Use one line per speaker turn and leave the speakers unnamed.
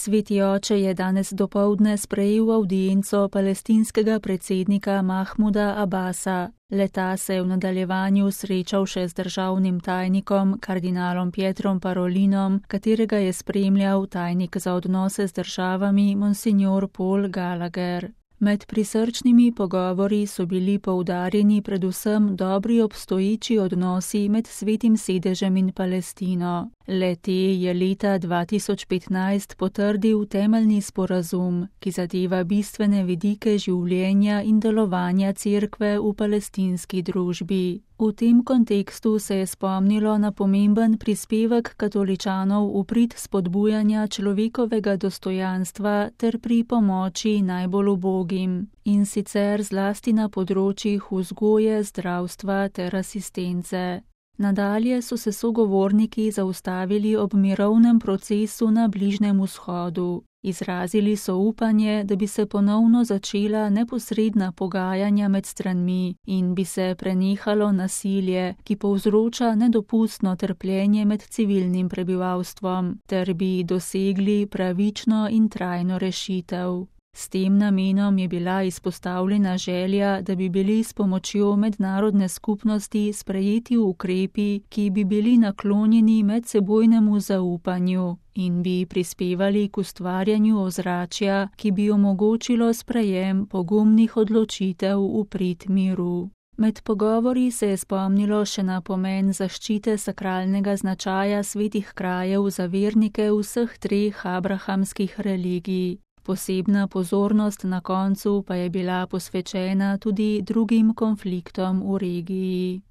Sveti oče je danes dopoldne sprejel avdienco palestinskega predsednika Mahmuda Abasa. Le-ta se je v nadaljevanju srečal še z državnim tajnikom, kardinalom Pietrom Parolinom, katerega je spremljal tajnik za odnose z državami monsignor Paul Gallagher. Med prisrčnimi pogovori so bili poudarjeni predvsem dobri obstoječi odnosi med Svetim sedežem in Palestino. Le-te je leta 2015 potrdil temeljni sporazum, ki zadeva bistvene vidike življenja in delovanja cerkve v palestinski družbi. V tem kontekstu se je spomnilo na pomemben prispevek katoličanov v prid spodbujanja človekovega dostojanstva ter pri pomoči najbolj ubogim, in sicer zlasti na področjih vzgoje, zdravstva ter asistence. Nadalje so se sogovorniki zaustavili ob mirovnem procesu na Bližnjem vzhodu. Izrazili so upanje, da bi se ponovno začela neposredna pogajanja med stranmi in bi se prenehalo nasilje, ki povzroča nedopustno trpljenje med civilnim prebivalstvom, ter bi dosegli pravično in trajno rešitev. S tem namenom je bila izpostavljena želja, da bi bili s pomočjo mednarodne skupnosti sprejeti ukrepi, ki bi bili naklonjeni medsebojnemu zaupanju in bi prispevali k ustvarjanju ozračja, ki bi omogočilo sprejem pogumnih odločitev v prid miru. Med pogovori se je spomnilo še na pomen zaščite sakralnega značaja svetih krajev za vernike vseh treh abrahamskih religij. Posebna pozornost na koncu pa je bila posvečena tudi drugim konfliktom v regiji.